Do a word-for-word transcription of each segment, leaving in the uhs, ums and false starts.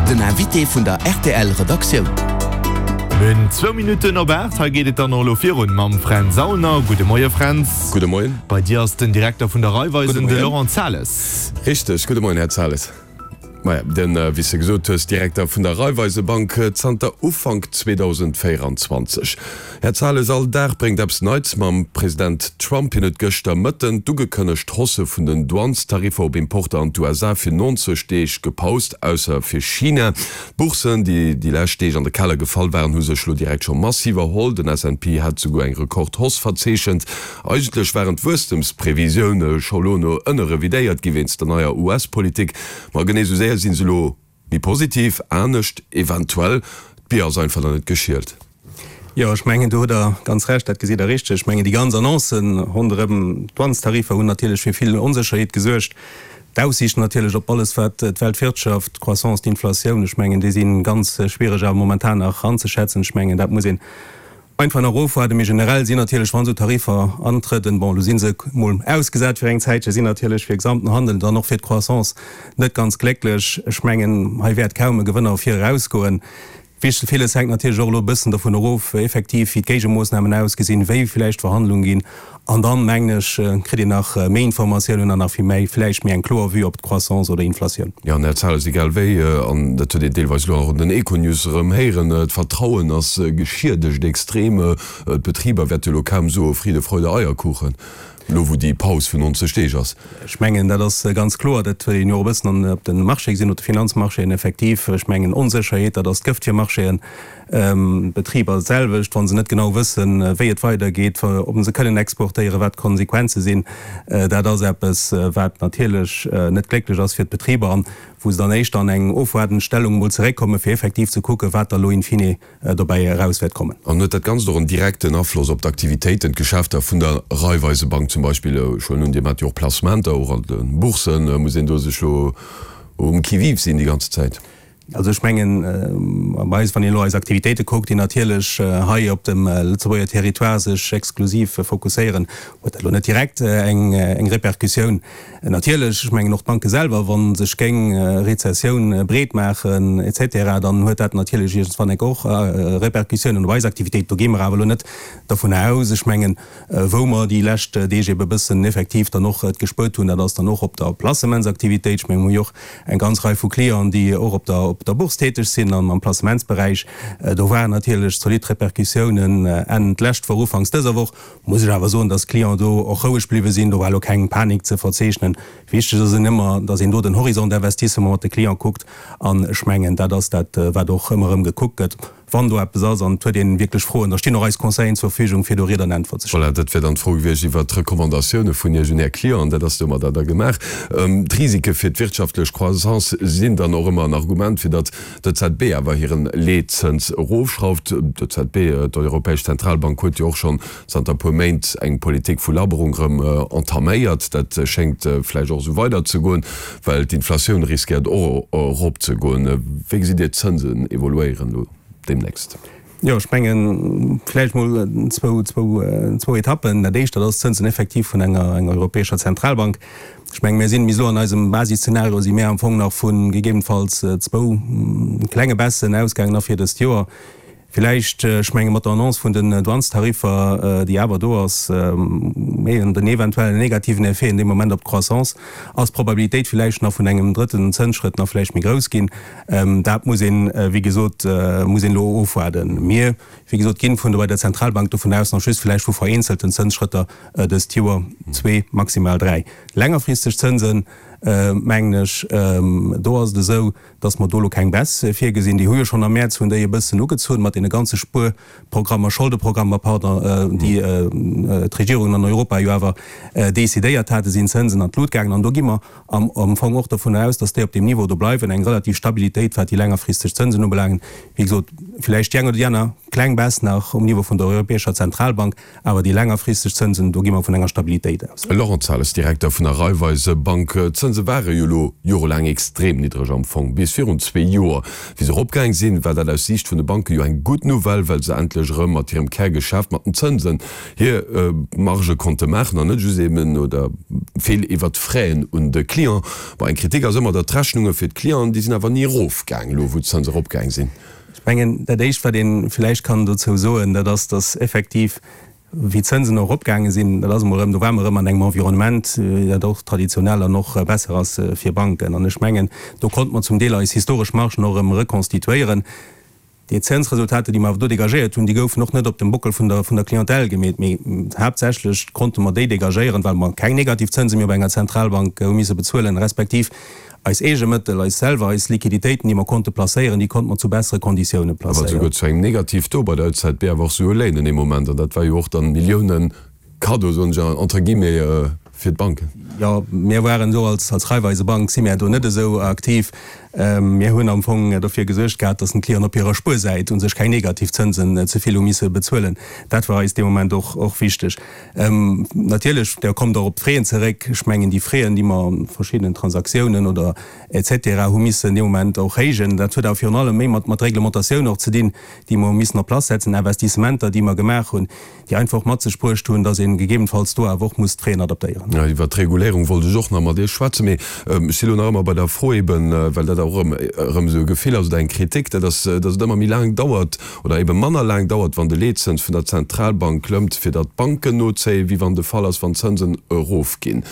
Den Invité vun der R T L Redaktioun. Mir hunn zwou Minutten op aacht. Hei geet et dann och elo virun mam Fränz Aulner. Gudde Moie Fränz. Gudde Moien. Bei dir ass den Direkter vun der Raiffeisen, de Laurent Zahles. Richteg. Gudde Moien, Här Zahles. Maja, den, wéi s de gesot hues, Direkter vun der Raiffeisebank zanter Ufank zweedausendvéierenzwanzeg. Här Zahles, all Dag bréngt eppes Neits mam President Trump. Hien huet gëschter Mëtten d'ugekënnegt Hausse vun den Douanestariffer op Importer an d'U S A fir neunzeg Deeg gepaust, ausser fir China. D'Bourssen, déi déi lescht Deeg an de Keller gefall waren, hu sech elo direkt scho massiv erholl. Den S and P hat souguer eng Rekordhausse verzeechent. Eigentlech waren d'Wuesstemsprevisioune scho lo no ënne revidéiert gi wéinst der neier U S-Politik. Ma genee sou séier sinn se elo méi positiv, anescht eventuell, d'Bier ass einfach nach net geschielt. Jo, ech mengen, do hutt Der ganz Recht, dat gesitt Der richteg. Ech mengen, déi ganz Annoncen ronderëm d'Douanestariffer hunn natierlech fir vill Onsécherheet gesuergt. D'Aussiichten natierlech op alles, wat d'Weltwirtschaft, d'Croissance, d'Inflatioun, ech mengen, déi si ganz schwiereg awer momentan nach anzeschätzen. Ech mengen, dat muss een einfach nach ofwaarden. Mee generell sinn natierlech, wann esou Tariffer antrëden, bon, elo si se mol ausgesat fir eng Zäitche, sinn natierlech fir de gesamten Handel, dann och fir d'Croissance net ganz glécklech. Ech mengen, hei wäert kaum e Gewënner ervir erausgoen. Wichtel, villes hänkt natierlech och elo e bëssen dovun erof, effektiv, wéi d'Géigemoossnamen ausgesinn, wéi villäicht d'Verhandlunge ginn. An dann, mengen ech, kritt een nach méi Informatiounen an nach vill méi, villäicht méi eng kloer Vue op d'Croissance oder Inflatioun. Jo, an Här Zahles, egal wéi, an dat huet een deelweis elo och an den Econews erëm héieren, d'Vertrauen ass geschiedegt extrem. D'Betriber wäerte elo kaum soe Friede, Freude, Eierkuchen, elo wou déi Paus vun neunzeg Deeg ass. Ech mengen, dat ass ganz kloer. Dat huet een jo och e bëssen op de Marché gesinn, op de Finanzmarchéen effektiv. Ech mengen, Onsécherheet, dat ass d'Gëft fir Marchéen. D'Betriber d'selwecht, wa se net genau wëssen, wéi et weidergeet, ob se kënnen exportéieren, wat d'Konsequenze sinn. Dat ass eppes, wat natierlech net glécklech ass fir d'Betriber an wou se dann éischter an eng ofwaardend Stellung emol zeréckkommen, fir effektiv ze kucken, wat da elo in fine dobäi eraus wäert kommen. An huet dat Ganzt och en direkten Afloss op d'Aktivitéiten, d'Geschäfter vun der Raiffeisebank zum Beispill? Ech huelen un, Dir maacht jo och Placementer, och an de Bourssen. Muss een do sech elo um Qui-vive sinn déi ganze Zäit? Also ech mengen, bei eis, wann een elo eis Aktivitéite kuckt, déi natierlech hei op dem Lëtzebuerger Territoire sech exklusiv fokusséieren, huet dat elo net direkt eng eng Repercussioun. Natierlech, ech mengen och d'Banke selwer, wa sech géing Rezessioun breet maachen et cetera, dann huet dat natierlech iergendswann enk och Repercussiounen op eis Aktivitéit. Do gi mer awer elo net dovun aus. Ech mengen, wou mer déi lescht Deeg ebe bëssen effektiv dann och et gespuert hunn, dat ass dann och op der Placementsaktivitéit. Ech mengen, mer hu jo och eng ganz Rei vu Clienten, déi och op der op der Bourse täteg sinn an am Placementsberäich. Do waren natierlech zolidd Repercussiounen Enn d'lescht Woch, ufanks dëser Woch. Muss ech awer soen, dass d'Clienten do och roueg bliwwe sinn. Do war elo keng Panik ze verzeechnen. Wichteg ass en ëmmer, dass een do den Horizon d'investissement mat de Cliente kuckt. An ech mengen, dat ass dat, wat och ëmmer erëm gekuckt gëtt. Wann do eppes ass an et huet een wierklech Froen, da stinn och eis Conseilleren zur Verfügung, fir do Ried an Äntwert ze stoen. Voilà, dat wär dann d'Fro gewiescht iwwert d'Recommandatioune vun Iech un Är Clienten. Dat ass domadder da gemaach. D'Risike fir d'wirtschaftlech Croissance sinn dann och ëmmer en Argument, fir datt d'E Z B awer hiren Leetzëns erofschrauft. D'E Z B, d'Europäesch Zentralbank, huet jo och schonn zanter e puer Méint eng Politik vu Labberung erëm entaméiert. Dat schéngt vläicht och esou weiderzegoen, well d'Inflatioun riskéiert och eropzegoen. Wéi gesitt Dir d'Zënsen evoluéieren elo deemnächst? Jo, ech mengen, vläicht mol zwou, zwou, zwou Etappen. Dat Éischt, dat ass d'Zënsen effektiv vun enger, enger Europäescher Zentralbank. Ech mengen, mir sinn bis elo an eisem Basisszenario si mir am Fong nach vu gegebenenfalls zwou klenge Baissen ausgaangen nach fir dëst Joer. Villäicht, ech menge mat der Annonce vun den Douanestariffer, déi awer do ass, mee den eventuellen negativen Effet an deem Moment op d'Croissance, ass d'Probabilitéit villäicht nach vun engem drëtten Zënsschrëtt nach villäicht méi grouss ginn. Dat muss een, wéi gesot, muss een elo ofwaarden. Mir, wéi gesot, ginn vun der bei der Zentralbank dovun aus, nach just villäicht vu vereenzelten Zënsschrëtter dëst Joer, zwee, maximal dräi. Längerfristeg Zënsen, mengen ech, do ass et esou, dass mer do elo keng Baisse virgesinn. Déi hu jo schonn am Mäerz hunn déi e bëssen ugezunn mat deene ganze Spuerprogrammer, Scholdeprogrammer, pardon, déi d'Regierungen an Europa jo awer decidéiert haten, sinn d'Zënsen an d'Lut gaangen. An do gi mer am Fong och dovun aus, dass déi op deem Niveau do bleiwen, eng relativ Stabilitéit, wat déi längerfristeg Zënsen ubelaangen. Wéi gesot, villäicht déi eng oder déi aner kleng Baisse nach um Niveau vun der Europäescher Zentralbank, awer déi längerfristeg Zënsen, do gi mer vun enger Stabilitéit aus. Laurent Zales, Direkter vun der Raiffeisebank, D'Zënse ware jo elo jorelaang extrem niddreg am Fong, bis virun zwee Joer. Wéi se eropgaang sinn, war dat aus Siicht vun de Banke jo eng gutt Nouvelle, well se endlech erëm mat hirem Kärgeschäft, mat den Zënsen, hir Margë konnte maachen an net just eben oder vill iwwert d'Fraisen un de Client. Bon, eng Kritik ass ëmmer, datt d'Rechnunge fir d'Clienten, déi sinn awer ni erofgaang, elo wou d'Zënse eropgaang sinn. Ech mengen, dat Éischt, wat ee vläicht kann dozou soen, dat ass, datt effektiv, wéi d'Zënsen och eropgaange sinn, dat ass emol erëm, do ware mer erëm an engem Environnement, dat och traditionell an och besser ass fir Banken. An ech mengen, do konnte mer zum Deel eis historesch Margen och erëm rekonstituéieren. Déi Zënsresultater, déi mer awer do dégagéiert hunn, déi goufen och net op dem Bockel vun der, vun der Clientèle gemeet, mee haaptsächlech konnte mer déi dégagéieren, well mer keng negativ Zënse méi op enger Zentralbank hu misse bezuelen, respektiv eis eege Mëttel, eis selwer, eis Liquiditéiten, déi mer konnte placéieren, déi konnte mer zu bessere Konditioune Awer placéieren. souguer zu engem Negativ-Taux bei der E Z B, awer och souguer Léinen ee Moment, an dat war jo och dann Milliounen Cadeau, soen ech entre guillemets, fir d'Banken. Jo, mir waren do als Raiffeisebank si mir do net esou aktiv. Mir hunn am Fong dofir gesuergt gehat, datt den Clienten op hirer Spuersäit u sech keng negativ Zënsen ze vill hu misse bezuelen. Dat war eis dee Moment och och wichteg. Natierlech, Der kommt och op d'Fraisen zeréck. Ech mengen, déi Fraisen, déi mer an verschiddenen Transaktiounen oder et cetera hu missen dee Moment och héijen, dat huet awer virun allem méi mat mat Reglementatioun och ze dinn, déi mer hu missen en place setzen, Investissementer, déi mer gemaach hunn, déi einfach och mat sech bruecht hunn, dass ee gegebenfalls do awer och muss d'Fraisen adaptéieren. Jo, iwwert d'Reguléierung wollt ech och nach mat Iech schwätzen, mee ech si lo nach ëmmer bei der Fro eben, well dat och erëm erëm esou e Gefill ass oder eng Kritik, dat ass, dass et ëmmer méi laang dauert oder ebe manner laang dauert, wann de Leetzëns vun der Zentralbank klëmmt, fir datt d'Banken nozéien, wéi wann de Fall ass, wann d'Zënsen erofginn.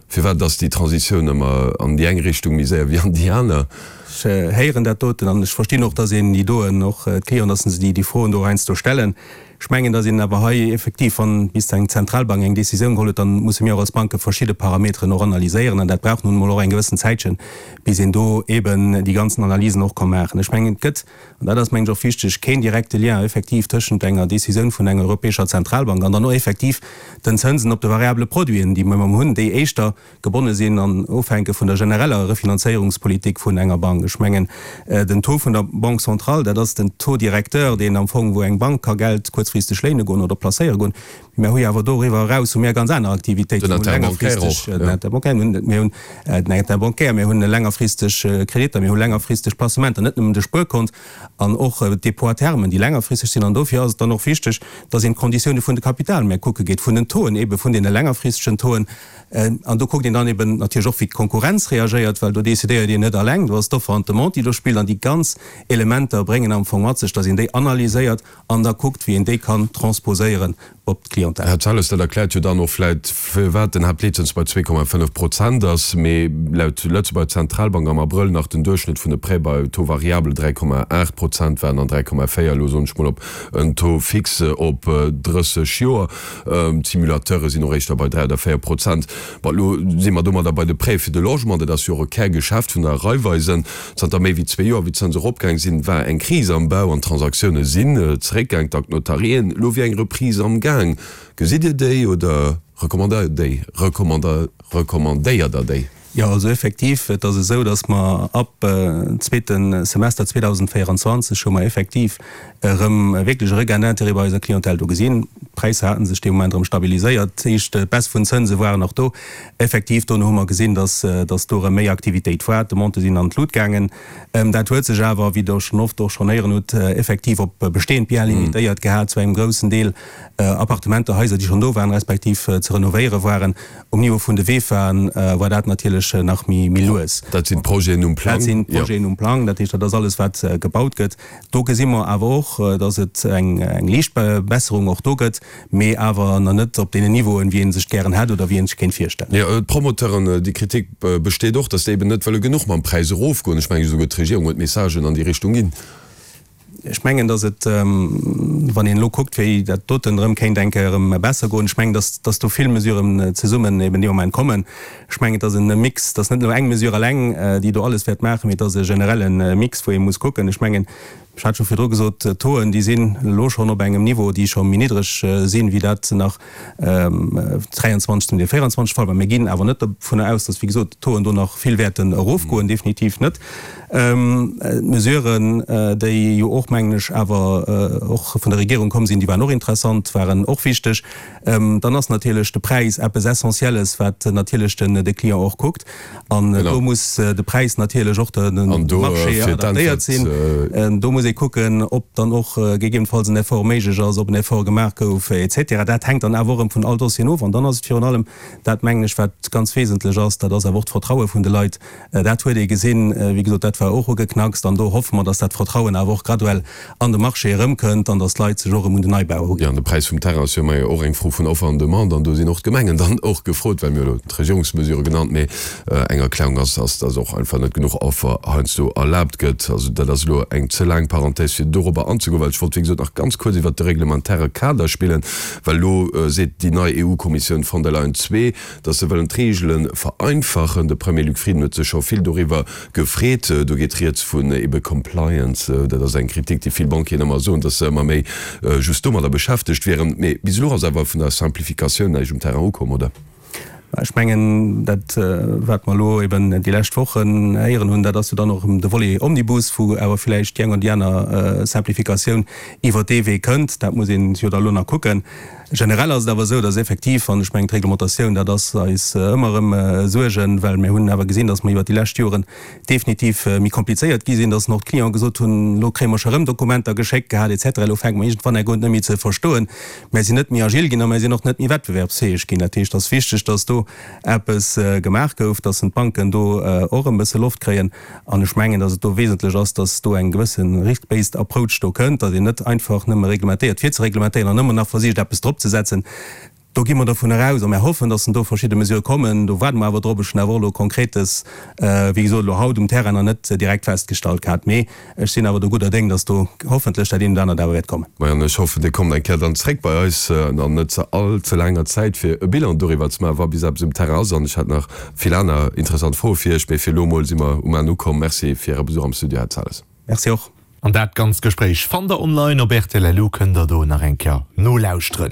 Firwat ass déi Transitioun ëmmer an déi eng Richtung méi séier wéi an déi aner? Ech héieren dat doten an ech verstinn och, dass een déi doen, och d'Clienten, dass se déi déi Froen do heiansdo stellen. Ech mengen, dass een awer hei effektiv, wann bis eng Zentralbank eng Décisioun geholl huet, dann musse mir och als Banke verschidde Parameteren och analyséieren an dat brauch nun emol och eng gewëssen Zäitchen, bis een do eben déi ganzen Analysen och ka maachen. Ech mengen, et gëtt, an dat ass, mengen ech, och wichteg, keen direkte Lien effektiv tëschent enger Décisioun vun enger Europäescher Zentralbank an dann och effektiv den Zënsen op de variabele Produiten, déi mer hunn, déi éischter gebonne sinn an ofhänke vun der genereller Refinanzéierungspolitik vun enger Bank. Ech mengen, den Taux vun der Banque centrale, dat ass den Taux directeur, deen am Fong, wou eng Bank ka Geld kuerzfristeg léine goen oder placéiere goen. Mä hu jo awer doriwwer eraus hu mir ganz aner Aktivitéiten. Den Interbancaire och, jo. Den Interbancaire, mir hunn den Interbancaire, mir hunn längerfristeg Kreditter, mir hu längerfristeg Placementer, net nëmmen de Spuerkont an och d'Dépôts à terme, déi längerfristeg sinn. An dofir ass et dann och wichteg, dass een d'Konditioune vun de Kapitalmäert kucke geet, vun den Tauxen, eebe vun deene längerfristegen Tauxen. An do kuckt een dann eben natierlech och, wéi d'Konkurrenz reagéiert, well do decidéiert een net alleng, do ass d'Offer an d'Demande, déi do spillt. An déi ganz Elementer bréngen am Fong mat sech, dass een déi analyséiert an da kuckt, wéi een déi kann transposéieren op d'Clientèle. Här Zelles, dat erkläert jo dann och vläit, firwat den Haaptleetzëns bei zwee Komma fënnef Prozent ass, mee laut Lëtzebuerger Zentralbank am Abrëll nach den Duerchschnëtt vun de Prêts bei Taux variable dräi Komma aacht Prozent waren an dräi Komma véier elo, soen ech mol, op en Taux fixe op drësseg Joer. D'Simulateure sinn och éischter bei dräi oder véier Prozent. Bon, elo si mer domadder bei de Prêts fir de Logement. Dat ass jo och e Kärgeschäft vun der Raiffeisen. Zanter méi wéi zwee Joer, wéi d'Zënse eropgaang sinn, war eng Kris am Bau an d'Transaktioune sinn zeréckgaang, dank Notarieen. Elo wier eng Reprise am Gaang. Gesitt Dir déi oder recommandéiert déi, recommandéiert Der déi? Jo, also effektiv, et ass esou, datt mer ab zweete Semester zweedausendvéierundzwanzeg hu mer effektiv erëm wierklech e Regain d'intérêt bei eiser Clientèle do gesinn. D'Präisser hate sech dee Moment erëm stabiliséiert, dat heescht d'Baisse vun Zënse waren och do. Effektiv, dono hu mer gesinn, datt datt do erëm méi Aktivitéit war, d'Demandë sinn an d'Lut gaangen. Dat huet sech awer, wéi Der schonn oft och schonn héieren hutt, effektiv op bestehend Biens limitéiert gehat, zu engem groussen Deel Appartementer, Haiser, déi schonn do waren, respektiv ze renovéiere waren. Um Niveau vun de V E F Aen war dat natierlech nach méi lues. Dat sinn d'Projeten um Plang. Dat sinn d'Projeten um Plang, dat heescht, dat ass alles, wat gebaut gëtt. Do gesi mer awer och, datt et eng liicht Besserung och do gëtt, mee awer nach net op deenen Niveauen, wéi ee sech gären hätt oder wéi ee sech kéint virstellen. Jo, d'Promoteuren, déi Kritik besteet och, datt déi eben net wëlle genuch mam Präis erofgoen. Ech mengen, esouguer d'Regierung huet Messagen an déi Richtung ginn. Ech mengen, datt et, wann een elo kuckt, wéi dat doten erëm kéint eng Kéier erëm besser goen, ech mengen, datt, datt do vill Mesuren zesummen eben dee Moment kommen. Ech mengen, et ass en Mix, et ass net elo eng Mesure eleng, déi do alles wäert maachen, mee et ass e generelle Mix, wou ee muss kucken. Ech mengen, Ech hat scho virdru gesot, d'Tauxen, déi sinn elo schonn op engem Niveau, déi scho méi niddreg sinn, wéi dat nach dräianzwanzeg, zum Deel véieranzwanzeg de Fall war. Mir ginn awer net dovunner aus, datt, wéi gesot, d'Tauxen do nach vill wäerten erofgoen, definitiv net. D'Mesuren, déi jo och, mengen ech, awer och vun der Regierung komm sinn, déi waren och interessant, waren och wichteg. Dann ass natierlech de Präis eppes Essentielles, wat natierlech de Client och kuckt. An do muss de Präis natierlech och dem Marché adaptéiert sinn. Do muss ee kucken, ob dann och gegebenenfalls en Effort méiglech ass, ob en Effort gemaach gouf, et cetera. Dat hänkt dann awer och erëm vun all Dossieren of. An dann ass et virun allem dat, mengen ech, wat ganz wesentlech ass, dat ass awer och d'Vertraue vun de Leit. Dat huet ee gesinn, wéi gesot, dat war och ugeknackst. An do hoffe mer, dass dat Vertrauen awer och graduell an de Marché erëmkënnt an dass d'Leit sech och erëm un den Neibau uginn. Jo, an de Präis vum Terrain ass jo ëmmer och eng Fro vun Offer an Demande. An do sinn och d'Gemengen dann och gefrot, well mir hu elo d'Regierungsmesure genannt, mee eng Erklärung ass, dass och einfach net genuch Offer heiansdo erlaabt gëtt. Also dat ass elo eng ze laang Parenthèse, fir dorobber anzegoen, well ech wollt, wéi gesot, nach ganz kuerz iwwert de reglementaire Kader spillen, well elo seet déi nei EU-Kommissioun von der Leyen zwee, dass se wëllen d'Reegele vereinfachen. De Premier Luc Frieden huet sech scho vill doriwwer gefreet. Do geet rieds vun ebe Compliance. Dat ass eng Kritik, déi vill Banquieren ëmmer soen, dass se ëmmer méi just domadder beschäftegt wieren. Mee bis elo ass awer vun der Simplificatioun näischt um Terrain ukomm, oder? Ech mengen, dat, wat mer elo eben déi lescht Wochen héieren hunn, dat ass jo dann och erëm de Volet Omnibus, wou awer villäicht déi eng oder déi aner Simplificatioun iwwert dee Wee kënnt. Dat muss een jo da elo nach kucken. Generell ass et awer esou, dass effektiv, an ech mengen d'Reglementatioun, dat ass eis ëmmer erëm Suergen, well mir hunn awer gesinn, dass mer iwwert déi lescht Joren definitiv méi komplizéiert gi sinn, dass och d'Clienten gesot hunn, elo kréie mer scho erëm Dokumenter geschéckt gehat et cetera, elo fänke mer iergendwann enk un et net méi ze verstoen. Mär sinn net méi agil ginn a mär sinn och net méi wettbewerbsfäeg ginn. Dat heescht, et ass wichteg, dass do eppes gemaach gouf, dass d'Banken do och e bësse Loft kréien. An ech mengen, dass et do wesentlech ass, dass do eng gewësse risk-based approach do kënnt, dass een net einfach nëmme reglementéiert fir ze reglementéieren an ëmmer nach versicht eppes drop ze setzen. Do gi mer dovun eraus a mir hoffen, dass do verschidde Mesure kommen. Do waarde mer awer drop. Ech hunn awer och elo Konkretes, wéi gesot, elo haut um Terrain nach net direkt festgestallt gehat. Mee ech sinn awer do gudder Déng, dass do hoffentlech dat eent oder anert awer wäert kommen. Majo, an ech hoffen, Dir kommt eng Kéier dann zréck bei eis an net ze all ze laanger Zäit, fir e Bilan doriwwer ze maachen, wa bis eppes um Terrain ass. An ech hätt nach vill aner interessant Froe fir Iech, mee fir elo emol si mer um Enn ukomm. Merci fir Äre Besuch am Studio, Här Zales. Merci och. An dat ganzt Gespréich fannt der online op rtl. Elo kënnt der do nach eng Kéier nolauschteren.